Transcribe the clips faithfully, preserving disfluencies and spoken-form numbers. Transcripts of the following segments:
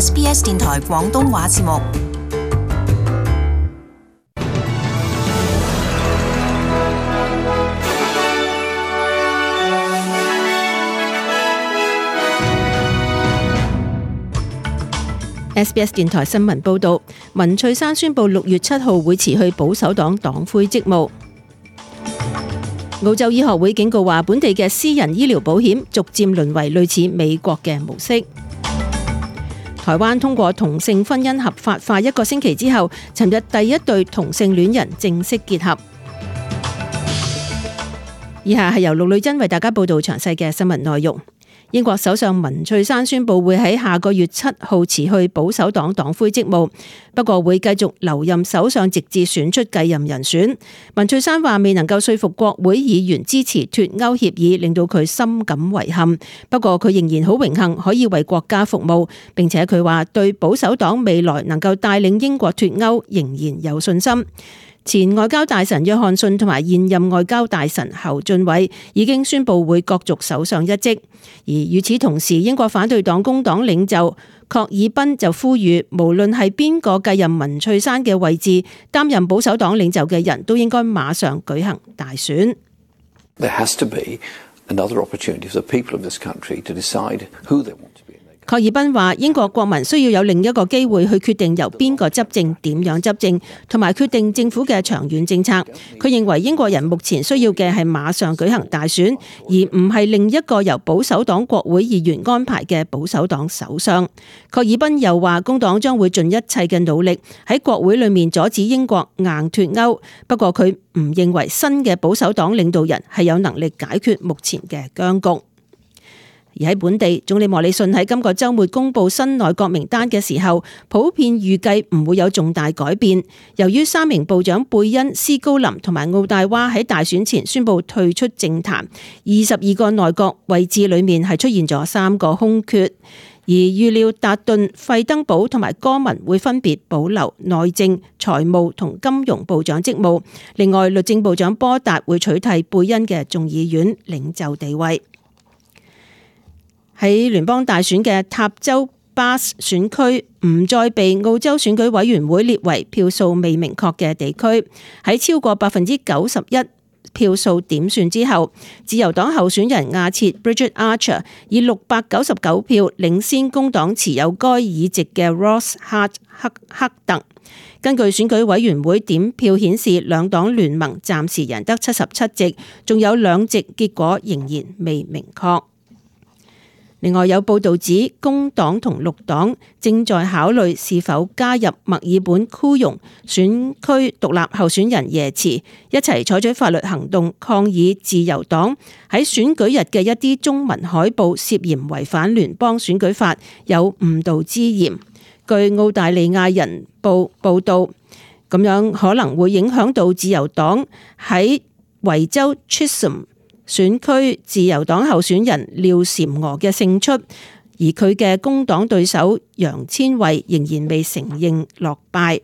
S B S 電台廣東話節目。S B S 電台新聞報道，文翠珊宣布六月七號會辭去保守黨黨魁職務。澳洲醫學會警告話，本地嘅私人醫療保險逐漸淪為類似美國嘅模式。台灣通過同性婚姻合法化一個星期之後，尋日第一對同性戀人正式結合。以下係由陸女珍為大家報道詳細嘅新聞內容。英國首相文翠珊宣布會喺下個月七號辭去保守黨黨魁職務，不過會繼續留任首相直至選出繼任人選。文翠珊話未能夠說服國會議員支持脫歐協議，令到佢深感遺憾。不過佢仍然好榮幸可以為國家服務，並且佢話對保守黨未來能夠帶領英國脫歐仍然有信心。前外交大臣約翰遜同埋現任外交大臣侯俊偉已經宣布會角逐首相一職，而與此同時，英國反對黨工黨領袖郝爾彬就呼籲，無論係邊個繼任文翠珊嘅位置，擔任保守黨領袖嘅人都應該馬上舉行大選。There has to be another opportunity for the people of this country to decide who they want to be. 郝爾彬話：英國國民需要有另一個機會去決定由邊個執政、點樣執政，同埋決定政府嘅長遠政策。佢認為英國人目前需要嘅係馬上舉行大選，而唔係另一個由保守黨國會議員安排嘅保守黨首相。郝爾彬又話：工黨將會盡一切嘅努力喺國會裏面阻止英國硬脫歐，不過佢唔認為新嘅保守黨領導人係有能力解決目前嘅僵局。而喺本地，總理莫里遜喺今個週末公布新內閣名單嘅時候，普遍預計唔會有重大改變。由於三名部長貝恩、斯高林同埋奧大娃喺大選前宣布退出政壇，二十二個內閣位置裏面係出現咗三個空缺。而預料達頓、費登堡同埋哥文會分別保留內政、財務同金融部長職務。另外，律政部長波達會取替貝恩嘅眾議院領袖地位。喺聯邦大選嘅塔州巴斯選區唔再被澳洲選舉委員會列為票數未明確嘅地區。喺超過百分之九十一票數點算之後，自由黨候選人亞切 Bridget Archer 以六百九十九票領先工黨持有該議席嘅 Ross Hart 克克特。根據選舉委員會點票顯示，兩黨聯盟暫時贏得七十七席，仲有兩席結果仍然未明確。另外有報道指，工黨同綠黨正在考慮是否加入墨爾本庫容選區獨立候選人耶茨，一齊採取法律行動抗議自由黨喺選舉日嘅一啲中文海報涉嫌違反聯邦選舉法，有誤導之嫌。據澳大利亞人報報道，咁樣可能會影響到自由黨喺維州 Chisholm選區自由黨候選人廖嬋娥嘅勝出，而佢嘅工黨對手楊千惠仍然未承認落敗。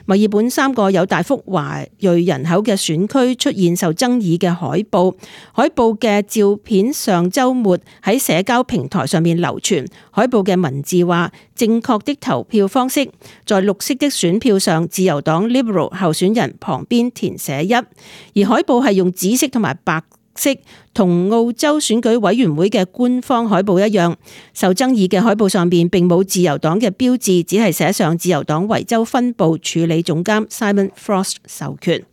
墨爾本三個有大幅華裔人口嘅選區出現受爭議嘅海報，海報嘅照片上週末喺社交平台上面流傳。海報嘅文字話：正確的投票方式，在綠色的選票上，自由黨 Liberal 候選人旁邊填寫一，而海報係用紫色同埋白色，同澳洲選舉委員會嘅官方海報一樣。受爭議嘅海報上邊並冇自由黨嘅標誌，只係寫上自由黨維州分部處理總監 Simon Frost 授權。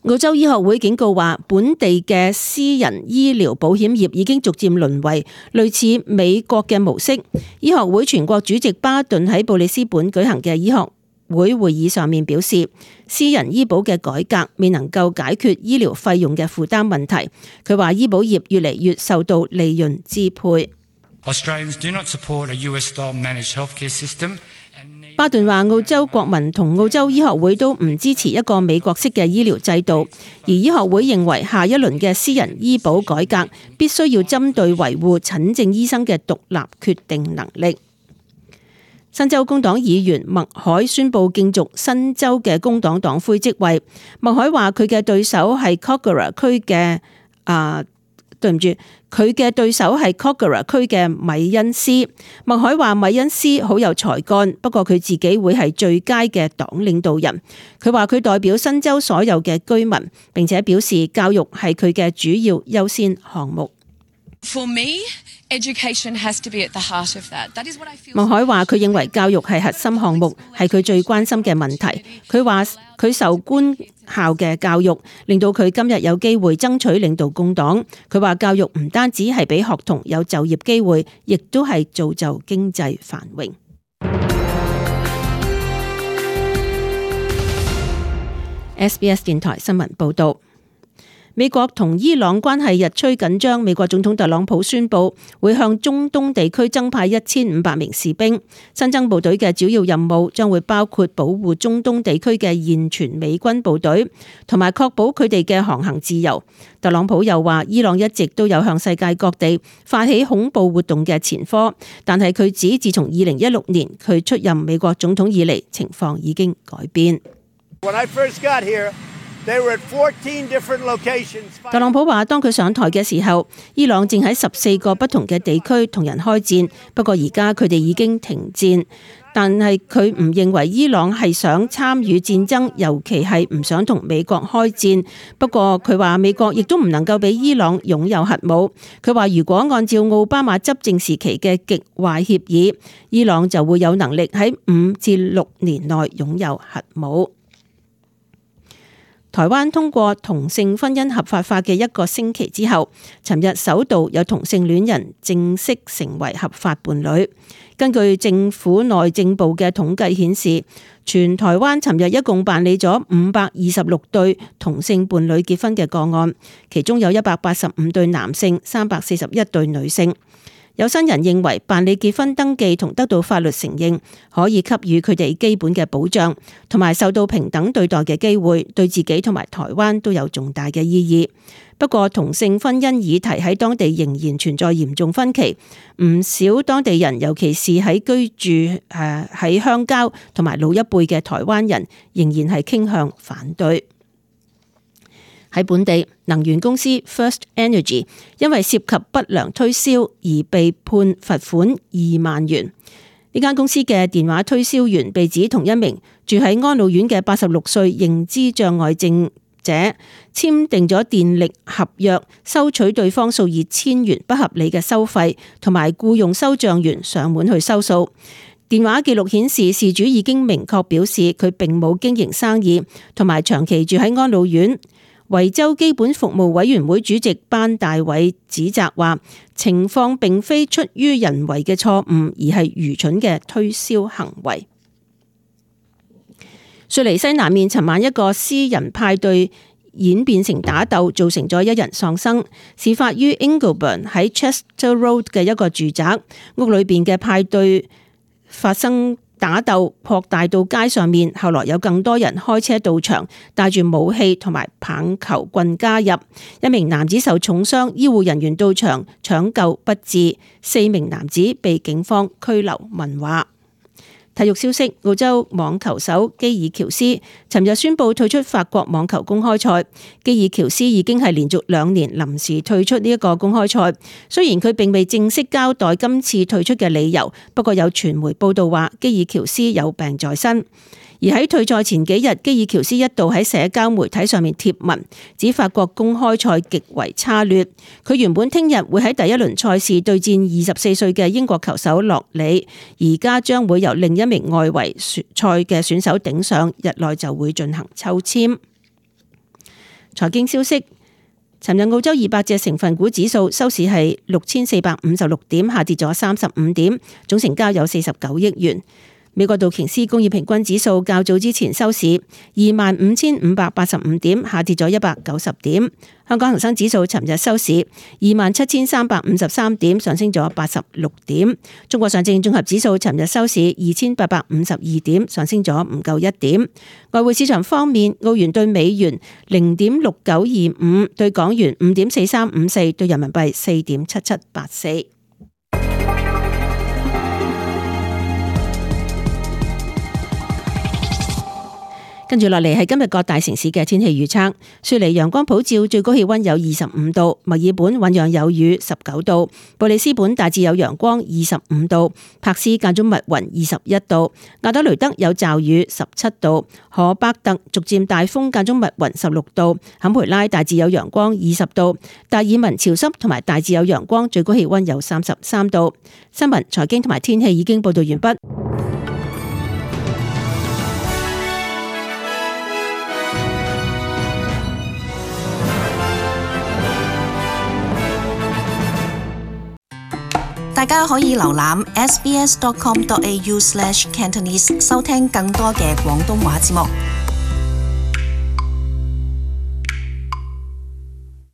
澳洲醫學會警告話，本地嘅私人醫療保險業已經逐漸淪為類似美國嘅模式。醫學會全國主席巴頓喺布里斯本舉行嘅醫學會會議上面表示，私人醫保嘅改革未能夠解決醫療費用嘅負擔問題。佢話醫保業越嚟越受到利潤支配。巴頓話澳洲國民同澳洲醫學會都唔支持一個美國式嘅醫療制度，而醫學會認為下一輪嘅私人醫保改革必須要針對維護診症醫生嘅獨立決定能力。新州工黨議員麥海宣布競逐新州嘅工黨黨魁職位。麥海話佢嘅對手係 Kogarah 區嘅啊對唔住，佢嘅對手係 Kogarah 區嘅米恩斯。麥凱話米恩斯好有才幹，不過佢自己會係最佳嘅黨領導人。佢話佢代表新州所有嘅居民，並且表示教育係佢嘅主要優先項目。For me, education has to be at the heart of that. That is what I feel. 麥凱話佢認為教育係核心項目，係佢最關心嘅問題。佢話佢受官校嘅教育，令到佢今日有機會爭取領導工黨。佢話教育唔單止係俾學童有就業機會，亦都係造就經濟繁榮。S B S 電台新聞報導。美國同伊朗關係日趨緊張，美國總統特朗普宣布會向中東地區增派一千五百名士兵。新增部隊嘅主要任務將會包括保護中東地區嘅現存美軍部隊，同埋確保佢哋嘅航行自由。特朗普又話，伊朗一直都有向世界各地發起恐怖活動嘅前科，但係佢指自從二零一六年佢出任美國總統以嚟，情況已經改變。When I first got here, they were at fourteen different locations. 特朗普話，當佢上台嘅時候，伊朗正喺十四個不同嘅地區同人開戰，不過而家佢哋已經停戰。但係佢唔認為伊朗係想參與戰爭，尤其係唔想同美國開戰。不過佢話美國亦都唔能夠俾伊朗擁有核武。佢話如果按照奧巴馬執政時期嘅極壞協議，伊朗就會有能力喺五至六年內擁有核武。台灣通過同性婚姻合法化嘅一個星期之後，尋日首度有同性戀人正式成為合法伴侶。根據政府內政部嘅統計顯示，全台灣尋日一共辦理咗五百二十六對同性伴侶結婚嘅個案，其中有一百八十五對男性，三百四十一對女性。有新人認為辦理結婚登記同得到法律承認，可以給予佢哋基本嘅保障，同埋受到平等對待嘅機會，對自己同埋台灣都有重大嘅意義。不過同性婚姻議題喺當地仍然存在嚴重分歧，唔少當地人，尤其是喺居住誒喺鄉郊同埋老一輩嘅台灣人，仍然係傾向反對。喺本地，能源公司 First Energy 因為涉及不良推銷而被判罰款二萬元。呢間公司嘅電話推銷員被指同一名住喺安老院嘅八十六歲認知障礙症者簽訂咗電力合約，收取對方數以千元不合理嘅收費，同埋僱用收賬員上門去收數。電話記錄顯示，事主已經明確表示佢並冇經營生意，同埋長期住喺安老院。維州基本服務委員會主席班大偉指責話，情況並非出於人為嘅錯誤，而係愚蠢嘅推銷行為。雪梨西南面尋晚一個私人派對演變成打鬥，造成咗一人喪生。事發於 Ingleburn 喺 Chester Road 嘅一個住宅屋裏邊嘅派對發生打鬥，擴大到街上面，後來有更多人開車到場，帶住武器同埋棒球棍加入。一名男子受重傷，醫護人員到場搶救不治，四名男子被警方拘留問話。體育消息，澳洲網球手基爾喬斯尋日宣布退出法國網球公開賽。基爾喬斯已經係連續兩年臨時退出呢一個公開賽，雖然佢並未正式交代今次退出嘅理由，不過有傳媒報道話基爾喬斯有病在身。而喺退賽前幾日，基爾喬斯一度喺社交媒體上面貼文，指法國公開賽極為差劣。佢原本聽日會喺第一輪賽事對戰二十四歲嘅英國球手洛里，而家將會由另一名外圍賽嘅選手頂上，日內就會進行抽籤。財經消息，尋日澳洲二百隻成分股指數收市係六千四百五十六點，下跌咗三十五點，總成交有四十九億元。美國道瓊斯工業平均指數較早之前收市二萬五千五百八十五點，下跌咗一百九十點。香港恒生指數尋日收市二萬七千三百五十三點，上升咗八十六點。中國上證綜合指數尋日收市二千八百五十二點，上升咗唔夠一點。外匯市場方面，澳元對美元零點六九二五，對港元五點四三五四，對人民幣四點七七八四。跟住落嚟係今日各大城市嘅天氣預測。雪梨陽光普照，最高氣溫有二十五度；墨爾本醞釀有雨，十九度；布里斯本大致有陽光，二十五度；柏斯間中密雲，二十一度；亞德雷德有驟雨，十七度；荷伯特逐漸大風間中密雲，十六度；坎培拉大致有陽光，二十度；達爾文潮濕同埋大致有陽光，最高氣溫有三十三度。新聞、財經同埋天氣已經報道完畢。大家可以瀏覽 s b s dot com dot a u slash cantonese 收聽更多嘅廣東話節目。